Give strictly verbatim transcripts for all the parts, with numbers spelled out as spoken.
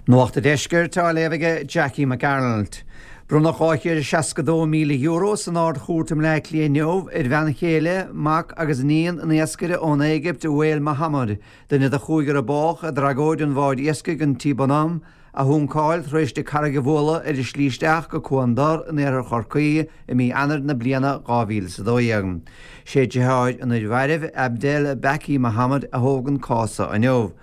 Nuacht an Deiscirt á léamh aige Jackie Mac Gearailt. Bronnadh dhá chéad seasca dó míle euro san Ard-Chúirt i mBleá Cliath inniu ar bhean chéile, mac agus iníon an iascaire ón Éigipt Wael Mohammed, duine de chúigear a bádh i dtragóid an bháid iascaigh an T Bonhomme a shuncáil tar éis di carraig a bhualadh ar a slí isteach go Cuan Dor in iarthar Chorcaí i mí Eanáir na bliana dhá mhíle is a dó dhéag. Sé deartháir an fhir mhairbh, Abdel Baki Mohammed, a thóg an cás inniu.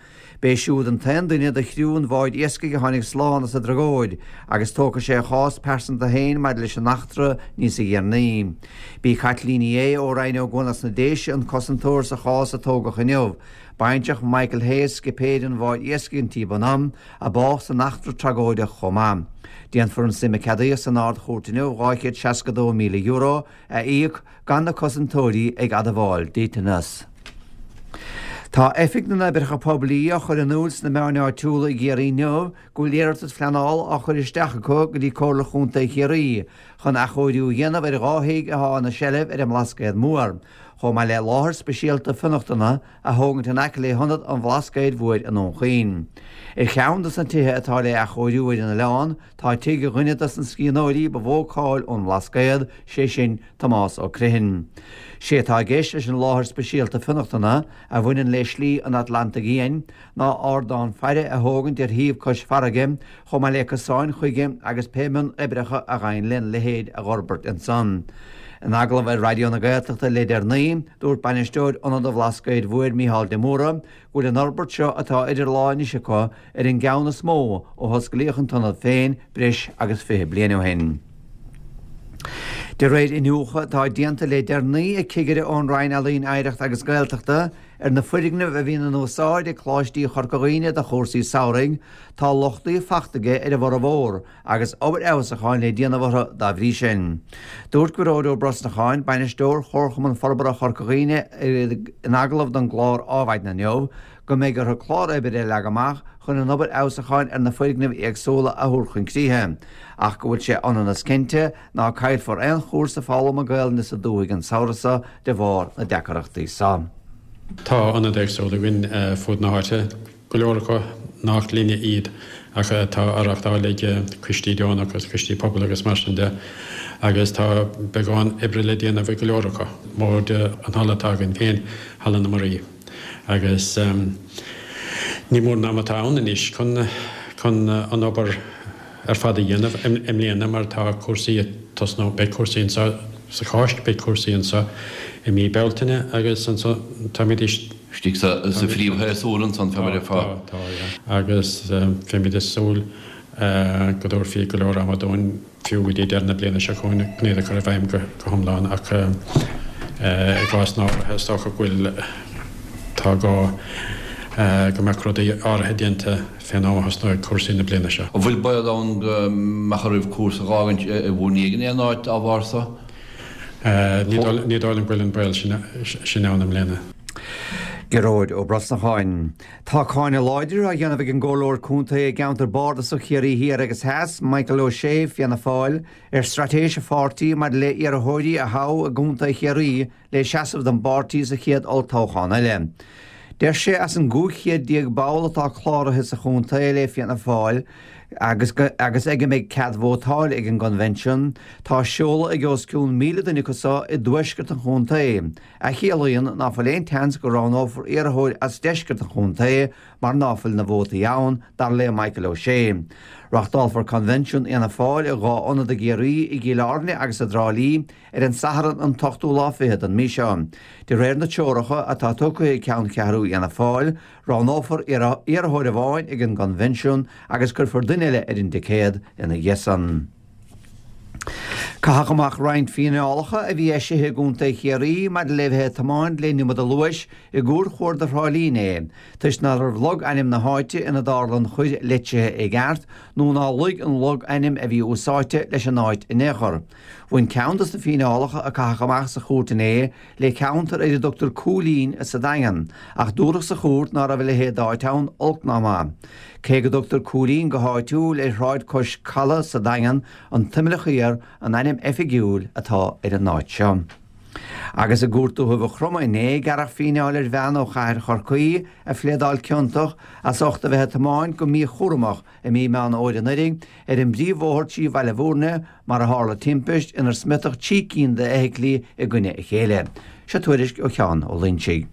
B'é siúd an t-aon duine de chriú an bháid iascaigh a tháinig slán as an dtragóid, agus tógfaidh sé a chás pearsanta féin maidir leis an eachtra níos deireanaí. B'í Caitlín Ní Aodha ó Rinn Ó gCuan sna Déise an cosantóir sa chás a tógadh inniu. Baintreach Michael Hayes, scipéir an bháid iascaigh an T Bonhomme, a bádh san eachtra tragóideach chomh maith. Déanfar an suim a ceadaíodh san Ard-Chúirt inniu dhá chéad seasca dó míle euro a íoc gan na cosantóirí ag admháil dliteanas. Tá Oifig na nOibreacha Poiblí á chur in iúl sna meáin áitiúla i gCiarraí inniu go bhfuil iarratas pleanála á chur isteach acu go dtí Comhairle Chontae Chiarraí chun athchóiriú a dhéanamh ar dhá thigh atá ina seilbh ar an mBlascaod Mór, chomh maith le láthair speisialta fionnachtana a thógaint in aice le hIonad an Bhlascaoid Mhóir i nDún Chaoin. Ar cheann de na tithe atá le athchóiriú ar an oileán tá tigh dhuine de na scríbhneoirí ba mhó cáil ón mBlascaod, sé sin Tomás Ó Criomhthain. Sé atá i gceist leis an láthair speisialta fionnachtana a bhaineann le Slí an Atlantaigh Fhiáin ná ardán faire a thógaint ar shuíomh cois farraige chomh maith le cosáin chuige agus pé mionoibreacha a ghabhann lena leithéid a dh'fhorbairt ansan. In agallamh ar Raidió na Gaeltachta le deireanaí, dúirt bainisteoir Ionad an Bhlascaoid Mhóir Micheál de Mórdha go bhfuil an fhorbairt seo atá idir lámha anois acu ar an gceann is mó ó hosclaíodh an t-ionad féin breis agus fiche bliain ó shin. De réir iniúchadh atá déanta le deireanaí ag cigire ón Roinn Ealaíon Oidhreachta agus Gaeltachta ar na foirgnimh a bhíonn in úsáid ag Coláistí Chorca Dhuibhne do chúrsaí samhraidh, tá lochtaí fachta aige ar a bhformhór agus obair fheabhsúcháin le déanamh orthu dá bhrí sin. Dúirt Gearóid Ó Brosnacháin, bainisteoir Chomharchumann Forbartha Chorca Dhuibhne in agallamh don gclár Adhmhaidin inniu, go mbeidh orthu clár oibre a leagan amach chun an obair fheabhsúcháin ar na foirgnimh éagsúla a thabhairt chun críche, ach go bhfuil sé ionann is cinnte ná caillfear aon chúrsa foghlama Gaelainne sa dúthaigh an samhradh seo de bharr na deacrachtaí seo. Tá ionaid éagsúla againn fud na háite, go leor acu nach linne iad ach atá á reáchtáil ag coistí deonach agus coistí pobail agus mar sin de, agus tá beagán oibre le déanamh ag go leor acu, móide an halla atá againn féin, Halla na Muirí. Agus ní mór an am atá ann anois chun chun an obair ar fad a dhéanamh i mbliana mar tá cúrsaí ag tosnú, beidh cúrsaí anseo sa Cháisc, beidh cúrsaí anseo i mí Bealtaine agus anso táimid istigh sa phríomhshéasúr ansan fé mar a Tá, tá, yeah. Agus bheimid ag súil go dtabharfaí go leor ama dúinn. fiú go dtí deireadh na bliana seo chugainn chun iad a chur i bhfeidhm go hiomlán ach i gcásanna áirithe is dócha go bhfuil tá gá go mbeadh rudaí áirithe déanta fén am a thosnóidh cúrsaí na bliana seo. An bhfuil baol ann go mbeadh oraibh cúrsa a dh'fhágaint i bhur ndiaidh in aon áit dá bharr so? Ní dóigh liom go bhfuil an baol sin ann i mbliana. Gearóid Ó Brosnacháin. Tá cáineadh láidir á dhéanamh ag an gComhairleoir Contae i gceantar Bardasach Chiarraí Thiar agus Theas, Michael O'Shea, Fianna Fáil, ar straitéis a pháirtí maidir le iarrthóirí a thoghadh i gContae Chiarraí le seasamh don bpáirtí sa chéad olltoghchán eile. Deir sé as an gcúig chéad déag ball atá cláraithe sa chontae le Fianna Fáil agus agus ag a mbeidh cead vótáil ag an gcoinbhinsiún, tá seoladh ag os cionn míle duine acu seo i dtuaisceart an chontae, a chiallaíonn ná fuil aon tseans go roghnófar iarrthóir as deisceart an chontae mar ná fuil na vótaí ann, dar le Michael O'Shea. Reáchtálfar Coinbhinsiún Fhianna Fáil i dhá ionad i gCiarraí, i gCill Airne agus i dTrá Lí, ar an Satharn an t-ochtú lá fichead den mí seo. De réir na treoracha atá tugtha ag Ceanncheathrú Fhianna Fáil, roghnófar iarrthóir amháin ag an gCoinbhinsiún agus cuirfear duine eile ar an dticéad ina dhiaidh san. Caitheadh amach roinnt fíneálacha a bhí eisithe i gContae Chiarraí maidir le bheith ag tiomáint le an iomad luais i gCuar Chuarda Thrá Lí inné, toisc ná raibh logainm na háite ina dtarla an choir litrithe i gceart nó ná luigh an logainm a bhí úsáidte leis an áit in aon chor. Bhain ceann dos na fíneálacha a caitheadh amach sa chúirt inné le ceantar ar a dtugtar Cúilín sa Daingean, ach dúradh sa chúirt ná raibh a leithéid d'áit ann, olc ná maith. Cé go dtugtar Cúilín go háitiúil ar shráid cois calaidh sa Daingean, an tImleach Thiar an ainm oifigiúil atá ar an áit seo. Agus i gCúirt Dúiche Mhaigh Chromtha inné gearradh fíneáil ar bhean ó chathair Chorcaí a phléadáil ciontach as ucht a bheith ag tiomáint go míchúramach i mí Meán Fhómhair anuraidh ar an bpríomhbhóthar trí Bhaile Bhúirne mar a tharla timpist inar smiotadh trí cinn d'fheithiclí i gcoinne a chéile. Seo tuairisc ó Sheán Ó Loinsigh.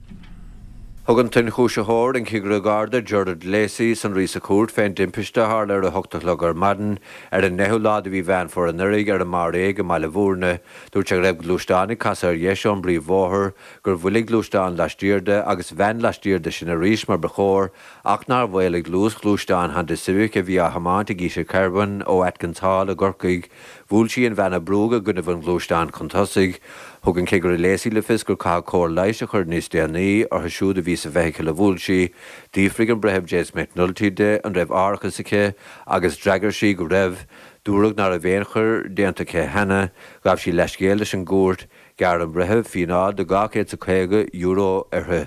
Thug an t-ionchúisitheoir an Cigire Garda Gerard Lacey sonraí sa chúirt fén dtimpiste a tharla ar a hocht a chlog ar maidin ar an ndeichiú lá de mhí Mheán Fómhair anuraidh ar an mBarr Éag i mBaile Bhúirne. Dúirt sé go raibh gluaisteán ag casadh ar dheis ón bpríomhbhóthar, gur bhuail gluaisteán laistiar de agus veain laistiar de sin arís mar ba chóir ach nár mhaolaigh luas ghluaisteán Honda Civic a bhí á thiomáint ag Ita Kerwin ó Atkins Hall i gCorcaigh. Bhuail sí an veain a brúdh i gcoinnibh an ghluaisteáin chun tosaigh. Thug an Cigire Lacey le fios gur caitheadh cóir leighis a chur níos déanaí orthu siúd a bhí sa bhfeithicil a bhuail sí. D'fhiafraigh an Breitheamh James McNulty di an raibh árachas aici agus d'fhreagair sí go raibh. Dúradh nach raibh aon choir déanta aici cheana, ghabh sí leithscéal leis an gcúirt, ghearr an Breitheamh fíneáil de dhá chéad is a caoga euro uirthi.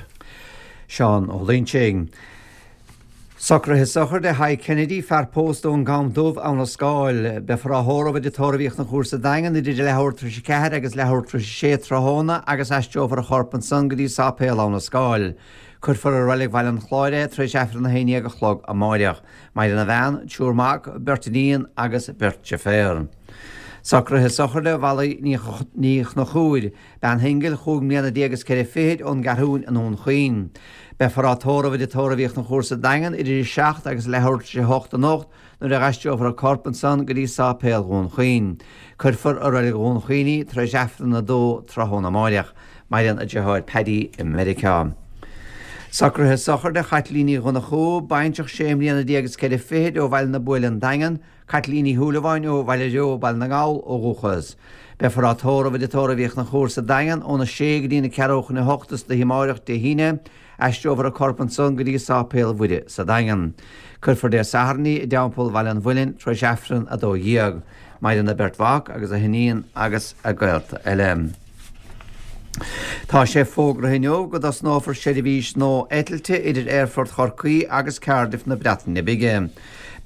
Seán Ó Loinsigh. Socruithe sochraide Thadhg Kennedy, fear pósta ón gCam Dubh, Abhainn an Scáil. Beifear á thórramh i dTigh Tórraimh Uí Chonchúir sa Daingean idir leathuair tar éis a ceathair agus leathuair tar éis a sé tráthnóna agus aistreofar a chorp ansan go dtí Sáipéal Abhainn an Scáil. Cuirfear i Reilig Bhaile an Chláir é tar éis Aifreann a haon déag a chlog amáireach. Maireann a bhean, triúr mac, beirt iníon agus beirt deirféar. Socruithe sochraide Mholly Ní Chonchúir, bean shingil chúig mbliana déag is ceithre fichid ón gCeathrúin i nDún Chaoin. Beifear á tórramh i dTigh Tórraimh Uí Chonchúir sa Daingean idir a seacht agus leathuair tar éis a hocht anocht nuair a aistreofar a corp ansan go dtí Sáipéal Dhún Chaoin. Cuirfear i Reilig Dhún Chaoin í tar éis Aifreann a dó tráthnóna amáireach. Maireann a deartháir Paddy i Meiriceá. Socruithe sochraide Chaitlín Ní Dhonnchú, baintreach sé mbliana déag is ceithre fichid ó Bhaile na Buaile an Daingean, Caitlín Ní Shúilleabháin ó Bhaile Reo, Baile na nGall ó dhúchas. Beifear á tórramh i dTigh Tórraimh Uí Chonchúir sa Daingean óna sé go dtí na ceathrú chun a hocht istoíche amáireach Dé hAoine, aistreofar a corp ansan go dtí Sáipéal Mhuire sa Daingean. Cuirfear Dé Sathairn í i dTeampall Bhaile an Mhuilinn tar éis Aifreann a dó dhéag. Maireann a beirt mhac agus a hiníon agus a gaolta eile. Tá sé fógraithe inniu go dtosnófar seirbhís nua eitilte idir Aerfort Chorcaí agus Cardiff na Breataine Bige.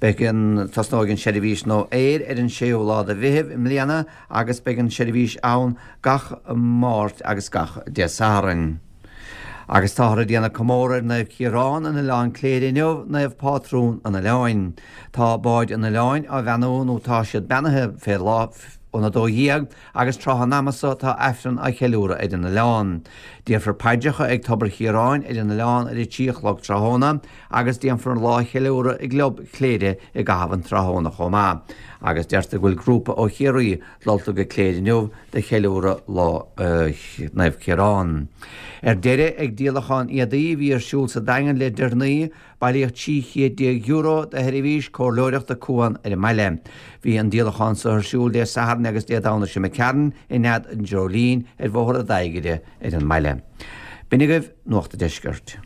Beidh an tosnóidh an seirbhís nua aeir ar an séú lá de Mheitheamh i mbliana agus beidh an seirbhís ann gach Máirt agus gach Dé Sathairn. Agus táthar ag déanamh comóradh ar Naomh Ciarán in Oileán Cléire inniu, Naomh Pátrún an Oileáin. Tá báid an oileáin á bheannú nó tá siad beannaithe fé lá óna dó dhéag agus tráth an ama so tá Aifreann á cheiliúradh ar an oileán. Déarfar paidreacha ag Tobar Chiaráin ar an oileán ar a trí a chlog tráthnóna agus déanfar an lá a cheiliúradh i gClub Chléire i gcaitheamh an tráthnóna chomh maith. Agus deirtear go bhfuil grúpa ó Chiarraí dulta go Cléire inniu do cheiliúradh lá Naomh Ciarán. Ar deireadh, ag díolachán éadaí a bhí ar siúl sa Daingean le deireanaí, bailíodh trí chéad déag euro do sheirbhís comhairleoireachta Cuan ar an mbaile. Bhí an díolachán so ar siúl Dé Sathairn agus Dé Domhnaigh seo imigh tharainn i Nead an Dreoilín ar Bhóthar an Adhaigire ar an mbaile. B'in agaibh Nuacht an Deiscirt.